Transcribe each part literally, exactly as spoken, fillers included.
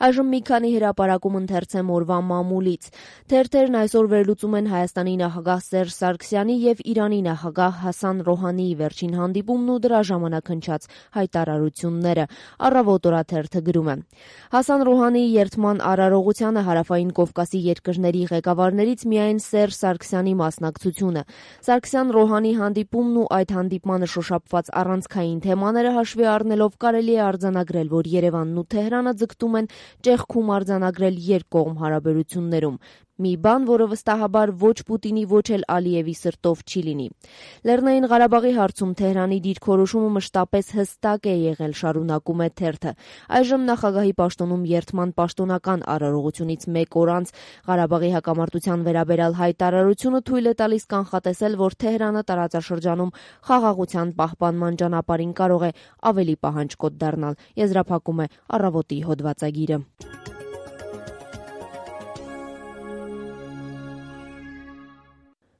Այժմ մի քանի հրապարակում ընթերցեմ օրվա մամուլից։ Թերթերն այսօր վերլուծում են Հայաստանի նախագահ Սերժ Սարգսյանի եւ Իրանի նախագահ Հասան Ռոհանիի վերջին հանդիպումն ու դրա ժամանակ հնչած հայտարարությունները։ Առավոտ օրաթերթը գրում է. Հասան Ռոհանիի երդման արարողությանը Հարավային Կովկասի երկրների ղեկավարներից միայն Սերժ Սարգսյանի մասնակցությունը։ Սարգսյան-Ռոհանի հանդիպումն ու այդ հանդիպմանը շոշափված առանցքային թեմաները հաշվի առնելով կարելի է արձանագրել, որ Երևանն ու Թեհրանը ձգտում են ճեղքում արձանագրել երկկողմ հարաբերություններում։ Մի բան, որը վստահաբար ոչ Պուտինի, ոչ էլ Ալիևի սրտով չի լինի։ Լեռնային Ղարաբաղի հարցում Թեհրանի դիրքորոշումը մշտապես հստակ է եղել, շարունակում է թերթը։ Այժմ նախագահի պաշտոնում երդման պաշտոնական արարողությունից մեկ օր անց Ղարաբաղի հակամարտության վերաբերյալ հայտարարությունը թույլ է տալիս կանխատեսել, որ Թեհրանը տարածաշրջանում խաղաղության պահպանման ճանապարհին կարող է ավելի պահանջկոտ դառնալ, եզրափակում է Առավոտի հոդվածագիրը։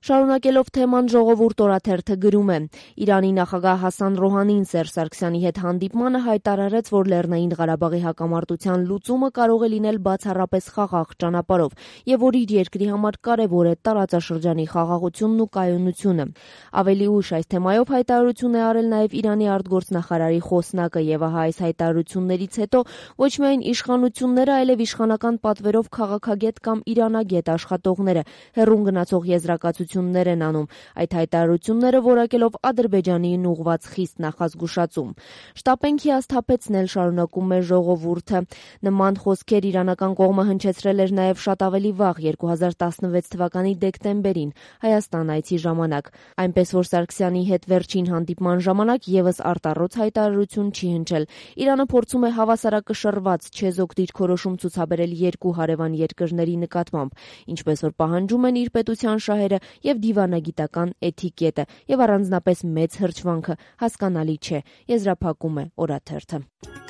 Շարունակելով թեման Ժողովուրդ օրաթերթը գրում է. Իրանի նախագահ Հասան Ռոհանին Սերժ Սարգսյանի հետ հանդիպմանը հայտարարեց, որ Լեռնային Ղարաբաղի հակամարտության լուծումը կարող է լինել բացառապես խաղաղ ճանապարհով եւ որ իր երկրի համար կարեւոր է տարածաշրջանի խաղաղությունն ու կայունությունը։ Ավելի ուշ այս թեմայով հայտարարություն է արել նաեւ Իրանի արտգործնախարարի խոսնակը եւ ահա այս հայտարարություններից հետո ոչ միայն իշխանությունները, այլև իշխանական պատվերով քաղաքագետ կամ իրանագետ աշխատողները հեռուն գնացող եզրակացություն են անում այդ հայտարարությունները որակելով Ադրբեջանին ուղղված խիստ նախազգուշացում։ Շտապենք հիասթափեցնել, շարունակում է Ժողովուրդը։ Նման խոսքեր իրանական կողմը հնչեցրել էր նաև շատ ավելի վաղ երկու հազար տասնվեց թվականի դեկտեմբերին Հայաստան այցի ժամանակ, այնպես որ Սարգսյանի հետ վերջին հանդիպման ժամանակ եւս արտառոց հայտարարություն չի հնչել։ Իրանը փորձում է հավասարակշռված չեզոք դիրքորոշում ցուցաբերել երկու հարևան երկրների նկատմամբ, ինչպես որ պահանջում են իր պետության շահերը եւ դիվանագիտական էթիկետը, եւ առանձնապես մեծ հրճվանքը հասկանալի չէ, եզրափակում է օրաթերթը։